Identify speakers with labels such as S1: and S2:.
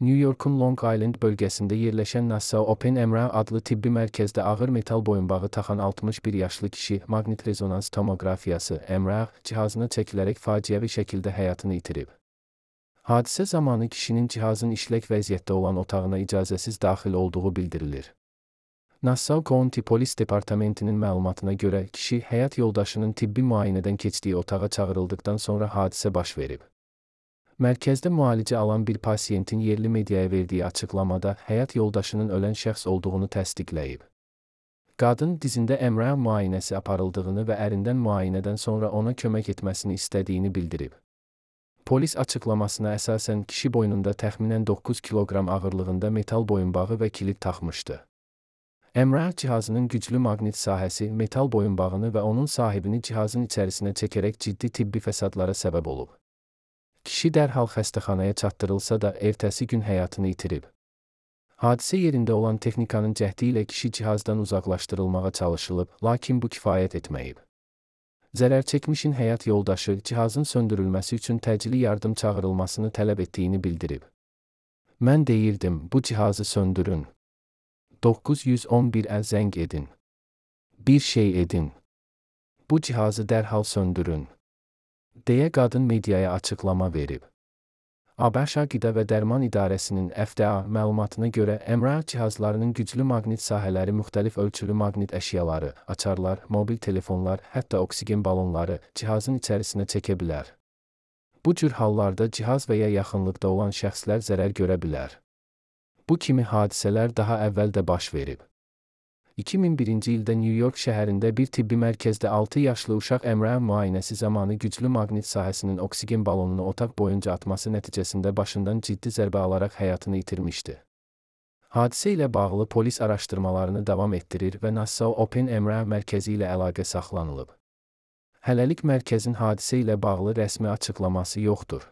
S1: New York'un Long Island bölgəsində yerləşən NASA Open MRI adlı tibbi mərkəzdə ağır metal boyunbağı taxan 61 yaşlı kişi maqnit rezonans tomoqrafiyası MRI cihazına çəkilərək faciəvi şəkildə həyatını itirib. Hadisə zamanı kişinin cihazın işlək vəziyyətdə olan otağına icazəsiz daxil olduğu bildirilir. Nassau County Polis Departamentinin məlumatına görə kişi həyat yoldaşının tibbi müayinədən keçdiyi otağa çağırıldıqdan sonra hadisə baş verib. Mərkəzdə müalicə alan bir pasiyentin yerli mediaya verdiyi açıqlamada həyat yoldaşının ölən şəxs olduğunu təsdiqləyib. Qadın dizində MRI müayinəsi aparıldığını və ərindən müayinədən sonra ona kömək etməsini istədiyini bildirib. Polis açıqlamasına əsasən kişi boynunda təxminən 9 kiloqram ağırlığında metal boyunbağı və kilit taxmışdı. MRI cihazının güclü maqnit sahəsi metal boyunbağını və onun sahibini cihazın içərisinə çəkərək ciddi tibbi fəsadlara səbəb olub. Kişi dərhal xəstəxanaya çatdırılsa da ertəsi gün həyatını itirib. Hadisə yerində olan texnikanın cəhdi ilə kişi cihazdan uzaqlaşdırılmağa çalışılıb, lakin bu kifayət etməyib. Zərər çəkmişin həyat yoldaşı cihazın söndürülməsi üçün təcili yardım çağırılmasını tələb etdiyini bildirib. Mən deyirdim, bu cihazı söndürün. 911-ə zəng edin. Bir şey edin. Bu cihazı dərhal söndürün, deyə qadın mediaya açıqlama verib. ABŞ Qida və Dərman İdarəsinin FDA məlumatına görə MRI cihazlarının güclü maqnit sahələri müxtəlif ölçülü maqnit əşyaları, açarlar, mobil telefonlar, hətta oksigen balonları cihazın içərisinə çəkə bilər. Bu cür hallarda cihaz və ya yaxınlıqda olan şəxslər zərər görə bilər. Bu kimi hadisələr daha əvvəl də baş verib. 2001-ci ildə New York şəhərində bir tibbi mərkəzdə 6 yaşlı uşaq MRI müayinəsi zamanı güclü maqnit sahəsinin oksigen balonunu otaq boyunca atması nəticəsində başından ciddi zərbə alaraq həyatını itirmişdi. Hadisə ilə bağlı polis araşdırmalarını davam etdirir və Nassau Open MRI mərkəzi ilə əlaqə saxlanılıb. Hələlik mərkəzin hadisə ilə bağlı rəsmi açıqlaması yoxdur.